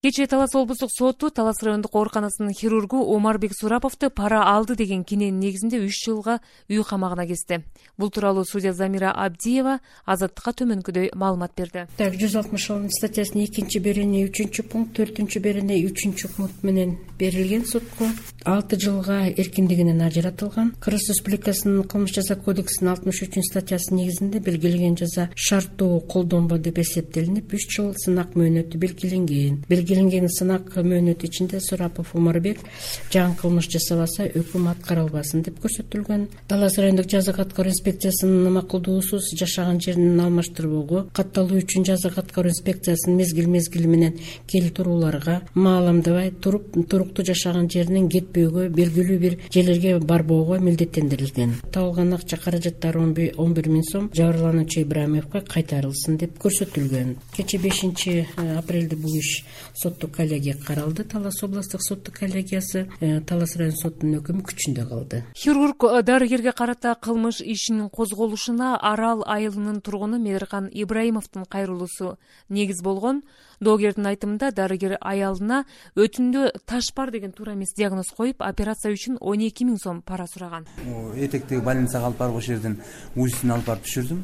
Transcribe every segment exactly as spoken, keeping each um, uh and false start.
Кечээ Талас облустук соту Талас райондук ооруканасынын хирургу Омарбек Сураповду пара алды деген киненин негизинде үч жылга үй камагына кести. Бул тууралуу судья Замира Абдиева Азаттыкка төмөнкүдөй маалымат берди. Так, жүз алтымыш алтынчы статьясынын экинчи берене үчүнчү пункт, төртүнчү берене үчүнчү пункт менен берилген сотко алты жылга эркиндигинен ажыратылган. Кыргыз Республикасынын кылмыш жаза кодексинин алтымыш үчүнчү статьясынын негизинде белгиленген жаза шарттуу колдонбоо деп эсептелинип, үч жыл сынак мөөнөтү белгиленген. Белгиленген сынак мөөнөтү ичинде Сурапов Омарбек жаңы кылмыш жасабаса өкүм аткарылбасын деп көрсөтүлгөн. Талас райондук жаза аткаруу инспекциясынын макулдуусуз жашаган жерин алмаштырбоого, катталуу үчүн жаза аткаруу инспекциясынын мезгил мезгили менен келип турууларга, мааламдабай туруп туруктуу жашаган жеринен кетпөөгө, белгилүү бир жерлерге барбоого милдеттендирилген. Табылган акча каражаттары он бир миң сом жабырлануучу Ибраимовго кайтарылсын деп көрсөтүлгөн. Кечээ бешинчи апрелде бул иш соттук коллегия каралды. Талас областык соттук коллегиясы Талас район сотунун өкүмү күчүндө калды. Хирург дарыгерге карата кылмыш ишинин козголушуна Арал айылынын тургуну Мээркан Ибраимовдун кайрылуусу негиз болгон. Доогердин айтымында дарыгер аялына өтүндө таш бар деген туура эмес диагноз коюп, операция үчүн он эки миң сом пара сураган. Этектеги больницага алып барып ошол жерден УЗИсин алып барып түшүрдүм.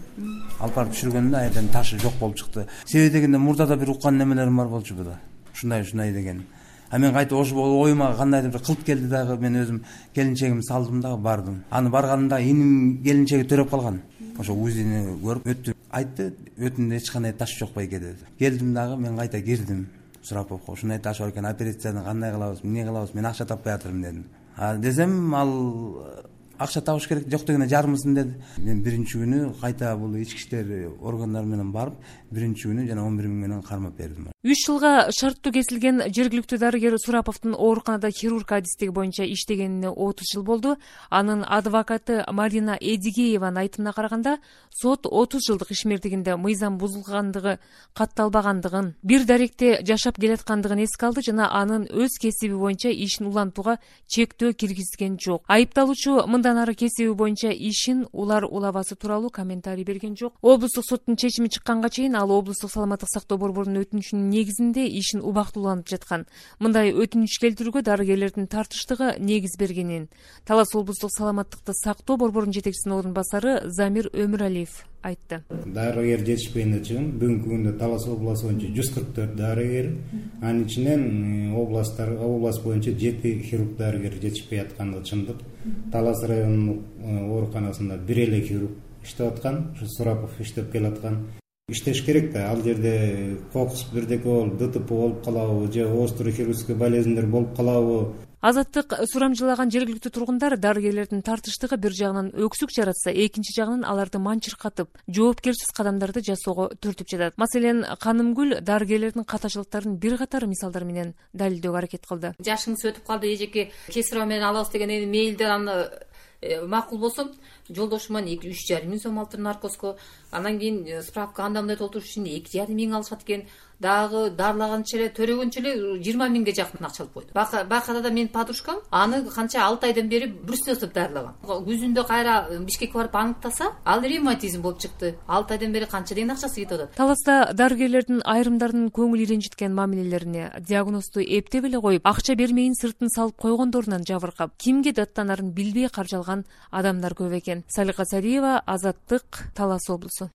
Алып барып түшүргөндө ал жерден ташы жок болуп чыкты. Себеби дегенде мурдада бир уккан немелерим бар болчу буда. Ушундай ушундай деген. А мен кайта ошо оюма кандайдыр бир кылт келди дагы, мен өзүм келинчегимди салдым дагы бардым. Аны барганымда иним келинчеги төрөп калган. Ошо УЗИни көрүп өттү. Айтты, өтүндө эч кандай таш жок байке деди. Келдим дагы, мен кайта кирдим. Сураповго ушундай таш бар экен, операцияны кандай кылабыз, эмне кылабыз, мен акча таппай атырмын дедим. А десем, ал акча табыш керек, жок дегенде жарымысын деди. Мен биринчи күнү кайта бул ички иштер органдары менен барып, биринчи күнү жана он бир миң менен кармап бердим. үч жылга шарттуу кесилген жергиликтүү дарыгер Сураповдун ооруканада хирург адистиги боюнча иштегенине отуз жыл болду. Анын адвокаты Марина Эдигееванын айтымына караганда, сот отуз жылдык ишмердигинде мыйзам бузулгандыгы, катталбагандыгын, бир даректе жашап келаткандыгын эске алды жана анын өз кесиби боюнча ишин улантууга чектөө киргизген жок. Айыпталуучу мындан ары кесиби боюнча ишин улар улабасы тууралуу комментарий берген жок. Облустук соттун чечими чыкканга чейин ал облустук саламаттык сактоо борборунун өтүнүчүнүн негизинде ишин убактылууланып жаткан. Мындай өтүнүч келтирүүгө дарыгерлердин тартыштыгы негиз бергенин Талас облустук саламаттыкты сактоо борборунун жетекчисинин орун басары Замир Өмүралиев айтты. Дарыгер жетишпегенде чыгын. Бүгүнкү күндө Талас областы боюнча жүз кырк төрт дарыгер, анын ичинен областтар област боюнча жети хирург дарыгер жетишпей аткандыгы чындык. Талас районунун ооруканасында бир эле хирург иштеп аткан, ушу Сурапов иштеп келаткан. Иштеш керек да, ал жерде кокус бирдеке болуп, ДТП болуп калабы, же острый хирургический болезньдер болуп калабы. Азаттык сурамжылаган жергиликтүү тургундар дарыгерлердин тартыштыгы бир жагынан өксүк жаратса, экинчи жагынан аларды манчыркатып, жоопкерсиз кадамдарды жасоого түртүп жатат. Маселен, Канымгүл дарыгерлердин катачылыктарын бир катар мисалдар менен далилдөөгө аракет кылды. Жашыңыз өтүп калды, эжеке кесиро менен алабыз деген эми мейлдер аны макул болсом, жолдошуман эки үч жарым миң сом алыптыр наркозго. Анан кийин справка анда мындай толтуруш үчүн эки жарым миң алышат экен. Дагы дарылаганча эле төрөгөнчө эле жыйырма миңге жакын акча алып койду. Бакада да менин подружкам аны канча алты айдан бери брусиловсуп дарылаган. Күзүндө кайра Бишкекке барып аныктаса, ал ревматизм болуп чыкты. алты айдан бери канча деген акчасы кетип атат. Таласта дарыгерлердин айрымдарынын көңүл ренжиткен мамилелерине диагнозду эптеп эле коюп, акча бермейин сыртын салып койгондорунан жабыркап, кимге даттанарын билбей каржалган адамдар көп экен. Салика Сариева, Азаттык, Талас облусу.